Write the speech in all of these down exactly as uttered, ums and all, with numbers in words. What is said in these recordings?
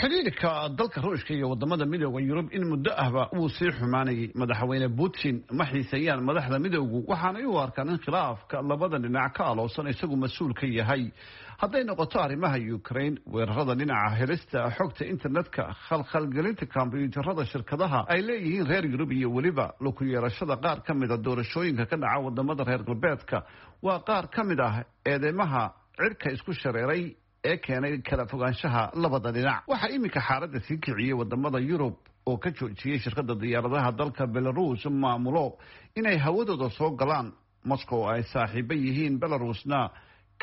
Xidhiirka dalka Ruushka iyo wadamada Midooda Yurub in muddo ahba wuu sii xumaanayay. Madaxweyne Putin ma xiiseeyaan madaxda midowgu, waxaanay u arkaan in khilaafka labada dhinac ka aloosan isagu mas-uul ka yahay, hadday noqoto arrimaha Ukraine, weerarada dhinaca helista xogta internetka, khalkhalgelinta kombyuutarada shirkadaha ay leeyihiin reer Yurub iyo weliba lug ku yeelashada qaar ka mid ah doorashooyinka ka dhaca wadamada reer galbeedka. Waa qaar ka mid ah eedeymaha cirka isku shareeray ee keenay kala fogaanshaha labada dhinac. Waxaa iminka xaaladda sii kiciyey wadamada Yurub oo ka joojiyey shirkada diyaaradaha dalka Belarus maamulo inay hawadooda soo galaan. Moscow ay saaxiibo yihiin Belarusna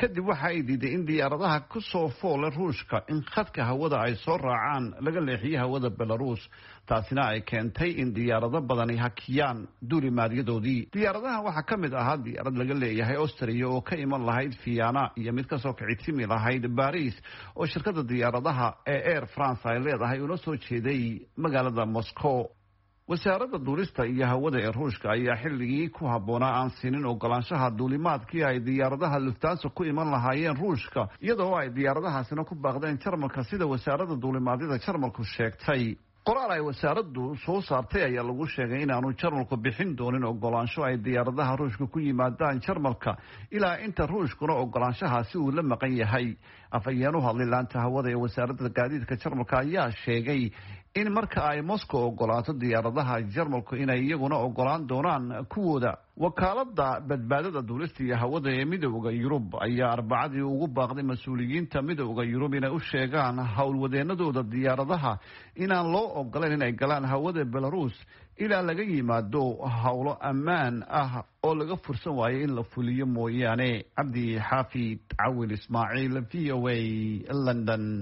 kadib waxa ay diiday in diyaaradaha ku soo foole Ruushka in khadka hawada ay soo raacaan laga leexiyo hawada Belarus, taasina ay keentay in diyaarado badani hakiyaan duulimaadyadoodii. Diyaaradaha waxaa ka mid ahaa diyaarad laga leeyahay Austria oo ka iman lahayd Vienna iyo mid kasoo kicitimi lahayd Baris oo shirkada diyaaradaha ee Air France ay leedahay una soo jeeday magaalada Moscow. Wasaaradda duulista iyo hawada ee Ruushka ayaa xilligii ku habboonaa aan siinin ogolaanshaha duulimaadkii ay diyaaradaha Lufthansa ku iman lahaayeen Ruushka, iyadoo ay diyaaradahaasina ku baaqdeen Jarmalka, sida wasaaradda duulimaadyada Jarmalku sheegtay. Qoraal ay wasaaraddu soo saartay ayaa lagu sheegay inaanu Jarmalku bixin doonin ogolaansho ay diyaaradaha Ruushka ku yimaadaan Jarmalka ilaa inta Ruushkuna ogolaanshahaasi uu la maqan yahay. Afhayeen u hadlay laanta hawada ee wasaaradda gaadiidka Jarmalka ayaa sheegay in marka ay Moscow ogolaato diyaaradaha Jarmalku, inay iyaguna ogolaan doonaan kuwooda. Wakaalada badbaadada duulista iyo hawada ee Midooda Yurub ayaa Arbacadii ugu baaqday mas-uuliyiinta Midooda Yurub inay u sheegaan howlwadeenadooda diyaaradaha inaan loo ogolayn inay galaan hawada Belarus ilaa laga yimaado howlo ammaan ah oo laga fursan waayo in la fuliyo mooyaane. Cabdi Xaafid Cawil Ismaaciil, V O A, London.